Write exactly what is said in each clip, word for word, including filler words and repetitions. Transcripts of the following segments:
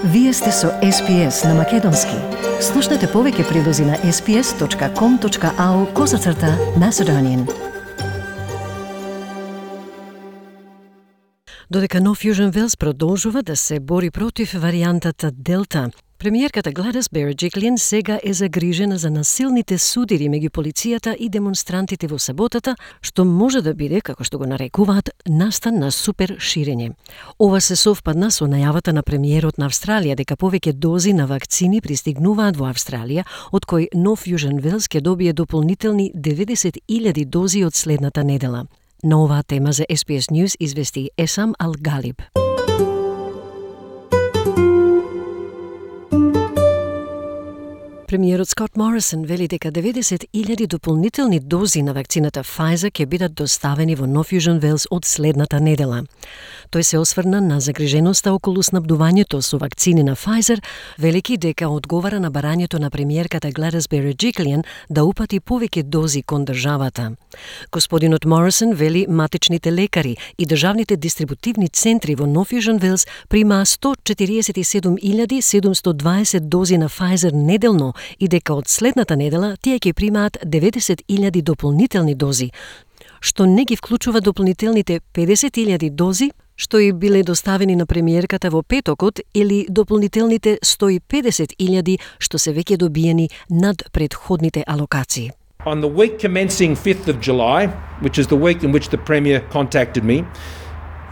Вие сте со Ес Пи Ес на Македонски. Слушнете повеќе прилози на ес пи ес точка ком точка ау козацрта Macedonian. Додека Нов Јужен Велс продолжува да се бори против варијантата Делта, премиерката Гладис Береджиклиан сега е загрижена за насилните судири меѓу полицијата и демонстрантите во саботата, што може да биде, како што го нарекуваат, настан на супер ширење. Ова се совпадна со најавата на премиерот на Австралија дека повеќе дози на вакцини пристигнуваат во Австралија, од кои Нов Јужен Велс ќе добие дополнителни деветдесет илјади дози од следната недела. На оваа тема за Ес Пи Ес News извести Есам Ал-Галиб. Премиерот Скот Морисон вели дека деветдесет илјади дополнителни дози на вакцината Pfizer ќе бидат доставени во Нов Јужен Велс од следната недела. Тој се осврна на загриженоста околу снабдувањето со вакцини на Pfizer, велики дека одговара на барањето на премиерката Гладис Береджиклиан да упати повеќе дози кон државата. Господинот Морисон вели матичните лекари и државните дистрибутивни центри во Нов Јужен Велс примаа сто четириесет и седум илјади седумсто дваесет дози на Pfizer неделно и дека од следната недела тие ќе примаат деветдесет илјади дополнителни дози, што не ги вклучува дополнителните педесет илјади дози што и биле доставени на премиерката во петокот или дополнителните сто и педесет илјади што се веќе добиени над предходните алокации. On the week commencing fifth of July, which is the week in which the Premier contacted me,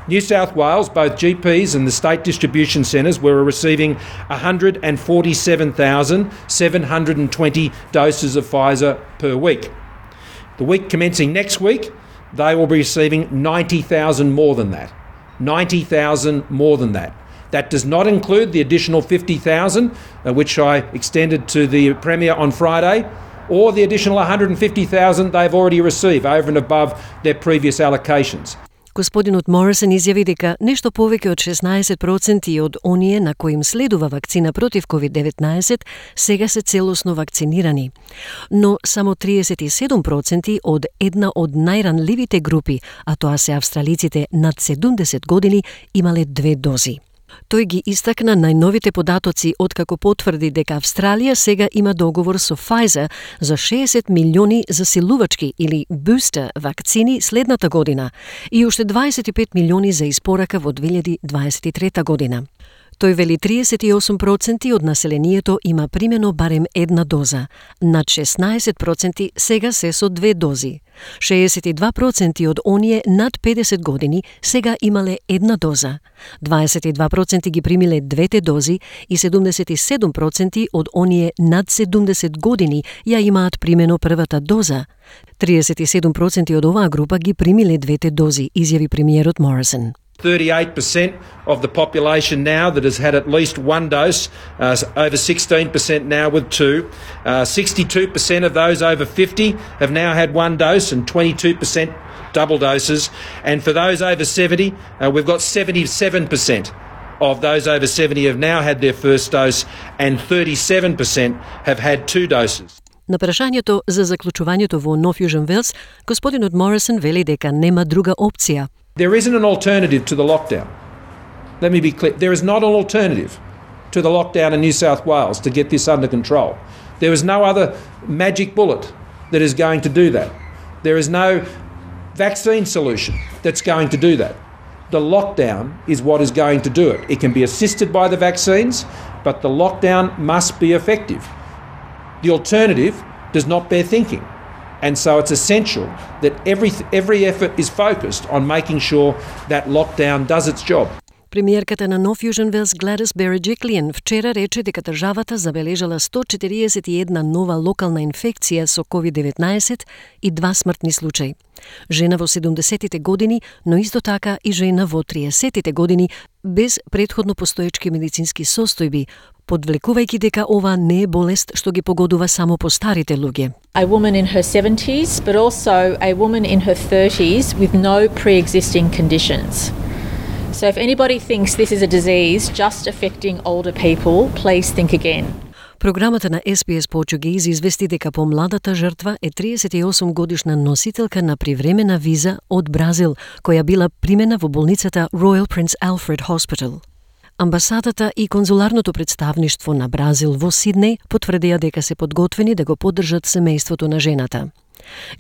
New South Wales, both G Ps and the state distribution centres were receiving one hundred forty-seven thousand seven hundred twenty doses of Pfizer per week. The week commencing next week, they will be receiving ninety thousand more than that. ninety thousand more than that. That does not include the additional fifty thousand, uh, which I extended to the Premier on Friday, or the additional one hundred fifty thousand they've already received over and above their previous allocations. Господинот Морисон изјави дека нешто повеќе од шеснаесет проценти од оние на кои им следува вакцина против ковид деветнаесет сега се целосно вакцинирани. Но само триесет и седум проценти од една од најранливите групи, а тоа се австралиците над седумдесет години, имале две дози. Тој ги истакна најновите податоци откако потврди дека Австралија сега има договор со Pfizer за шеесет милиони засилувачки или бустер вакцини следната година и уште дваесет и пет милиони за испорака во две илјади дваесет и трета година. Тој вели триесет и осум проценти од населението има примено барем една доза, над шеснаесет проценти сега се со две дози. шеесет и два проценти од оние над педесет години сега имале една доза, дваесет и два проценти ги примиле двете дози и седумдесет и седум проценти од оние над седумдесет години ја имаат примено првата доза. триесет и седум проценти од оваа група ги примиле двете дози, изјави премиерот Морисон. thirty-eight percent of the population now that has had at least one dose, uh, over sixteen percent now with two. Uh, sixty-two percent of those over fifty have now had one dose and twenty-two percent double doses. And for those over seventy, uh, we've got seventy-seven percent of those over seventy have now had their first dose and thirty-seven percent have had two doses. На прашањето за заклучувањето во Нов Јужен Велс, господинот Морисон вели дека нема друга опција. There isn't an alternative to the lockdown. Let me be clear. There is not an alternative to the lockdown in New South Wales to get this under control. There is no other magic bullet that is going to do that. There is no vaccine solution that's going to do that. The lockdown is what is going to do it. It can be assisted by the vaccines, but the lockdown must be effective. The alternative does not bear thinking. And so it's essential that every every effort is focused on making sure that lockdown does its job. Премиерката на Нов Јужен Велс Гладис Береджиклиан вчера рече дека државата забележала сто четириесет и една нова локална инфекција со ковид деветнаесет и два смртни случаи. Жена во седумдесетите години, но исто така и жена во триесетите години без предходно постоечки медицински состојби, подвлекувајќи дека ова не е болест што ги погодува само по старите луѓе. A woman in her seventies, but also a woman in her thirties with no pre-existing conditions. So if anybody thinks this is a disease just affecting older people, please think again. Програмата на Ес Пи Ес Portuguese извести дека помладата жртва е триесет и осум годишна носителка на привремена виза од Бразил, која била примена во болницата Royal Prince Alfred Hospital. Амбасадата и конзуларното представништво на Бразил во Сиднеј потврдија дека се подготвени да го поддржат семејството на жената.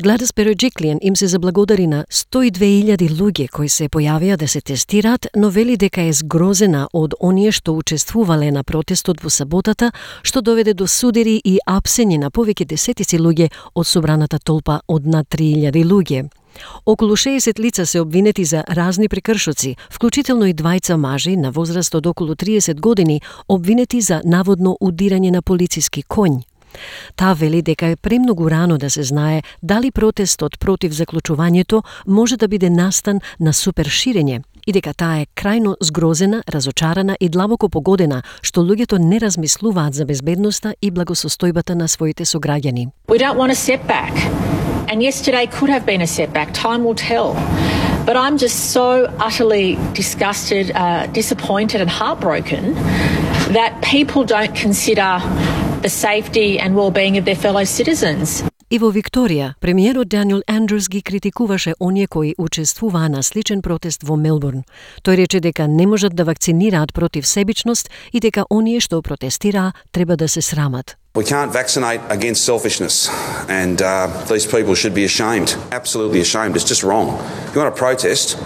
Gladys Berejiklian им се заблагодари на сто и две илјади луѓе кои се појавија да се тестираат, но вели дека е згрозена од оние што учествувале на протестот во саботата, што доведе до судири и апсење на повеќе десетици луѓе од собраната толпа од над три илјади луѓе. Околу шеесет лица се обвинети за разни прекршоци, вклучително и двајца мажи на возраст од околу триесет години, обвинети за наводно удирање на полициски коњ. Таа вели дека е премногу рано да се знае дали протестот против заклучувањето може да биде настан на суперширење и дека таа е крајно згрозена, разочарана и длабоко погодена што луѓето не размислуваат за безбедноста и благосостојбата на своите сограѓани. We don't want a setback. And yesterday could have been a setback. Time will tell. But I'm just so utterly disgusted, uh, disappointed and heartbroken that people don't consider the safety and well-being of their fellow citizens. И во Викторија, премиерот Даниел Андрус ги критикуваше оние кои учествуваа на сличен протест во Мелбурн. Тој рече дека не можат да вакцинираат против себичност и дека оние што протестираа треба да се срамат. We can't vaccinate against selfishness, and uh, these people should be ashamed, absolutely ashamed. It's just wrong. If you want to protest,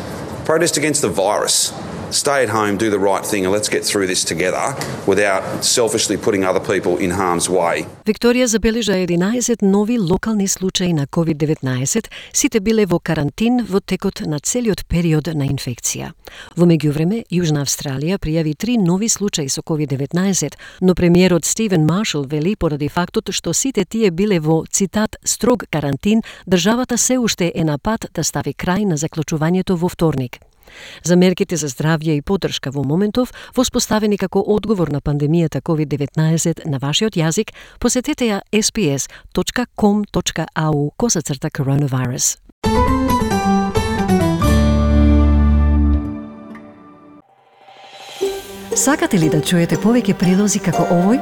protest against the virus. Stay at home, do the right thing, and let's get through this together without selfishly putting other people in harm's way. Викторија забележа единаесет нови локални случаи на ковид деветнаесет, сите биле во карантин во текот на целиот период на инфекција. Во меѓувреме, Јужна Австралија пријави три нови случаи со ковид деветнаесет, но премиерот Стивен Маршал вели поради фактот што сите тие биле во, цитат, строг карантин, државата се уште е на пат да стави крај на заклучувањето во вторник. За мерките за здравје и поддршка во моментов, воспоставени како одговор на пандемијата ковид деветнаесет на вашиот јазик, посетете ја ес би ес точка ком точка ау косацрта коронавирус. Сакате ли да чуете повеќе прилози како овој?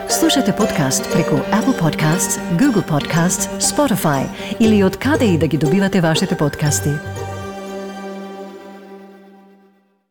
Слушате подкаст преку Apple Podcasts, Google Podcasts, Spotify или од каде и да ги добивате вашите подкасти.